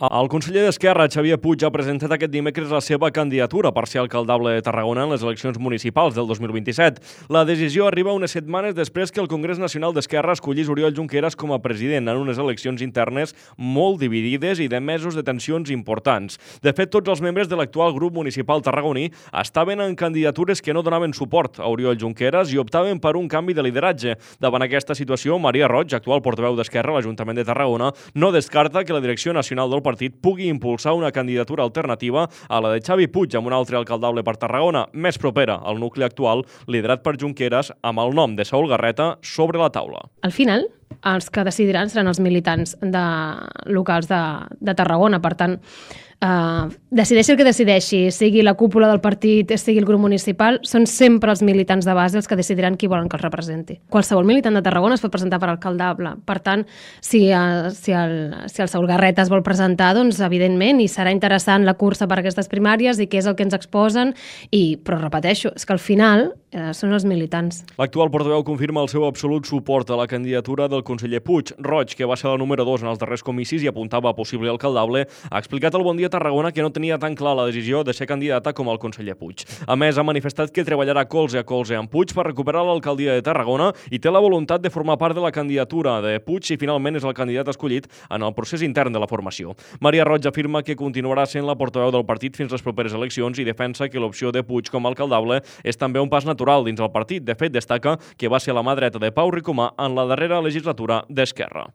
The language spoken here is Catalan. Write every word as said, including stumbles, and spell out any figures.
El conseller d'Esquerra, Xavier Puig, ha presentat aquest dimecres la seva candidatura per ser alcaldable de Tarragona en les eleccions municipals del dos mil vint-i-set. La decisió arriba unes setmanes després que el Congrés Nacional d'Esquerra escollís Oriol Junqueras com a president en unes eleccions internes molt dividides i de mesos de tensions importants. De fet, tots els membres de l'actual grup municipal tarragoní estaven en candidatures que no donaven suport a Oriol Junqueras i optaven per un canvi de lideratge. Davant aquesta situació, Maria Roig, actual portaveu d'Esquerra a l'Ajuntament de Tarragona, no descarta que la direcció nacional del partit pugui impulsar una candidatura alternativa a la de Xavi Puig amb un altre alcaldable per Tarragona, més propera al nucli actual, liderat per Junqueras, amb el nom de Saúl Garreta sobre la taula. Al final, els que decidiran seran els militants de, locals de, de Tarragona. Per tant, eh, decideixi el que decideixi, sigui la cúpula del partit, sigui el grup municipal, són sempre els militants de base els que decidiran qui volen que els representi. Qualsevol militant de Tarragona es pot presentar per alcaldable. Per tant, si, eh, si, el, si el Saúl Garreta es vol presentar, doncs evidentment, i serà interessant la cursa per aquestes primàries i què és el que ens exposen, i, però repeteixo, és que al final eh, són els militants. L'actual portaveu confirma el seu absolut suport a la candidatura del conseller Puig. Roig, que va ser la número dos en els darrers comicis i apuntava a possible alcaldable, ha explicat al Bon Dia Tarragona que no tenia tan clar la decisió de ser candidata com el conseller Puig. A més, ha manifestat que treballarà colze a colze amb Puig per recuperar l'alcaldia de Tarragona i té la voluntat de formar part de la candidatura de Puig si finalment és el candidat escollit en el procés intern de la formació. Maria Roig afirma que continuarà sent la portaveu del partit fins les properes eleccions i defensa que l'opció de Puig com a alcaldable és també un pas natural dins el partit. De fet, destaca que va ser la mà dreta de Pau Ricomà en la darrera legislatura d'Esquerra.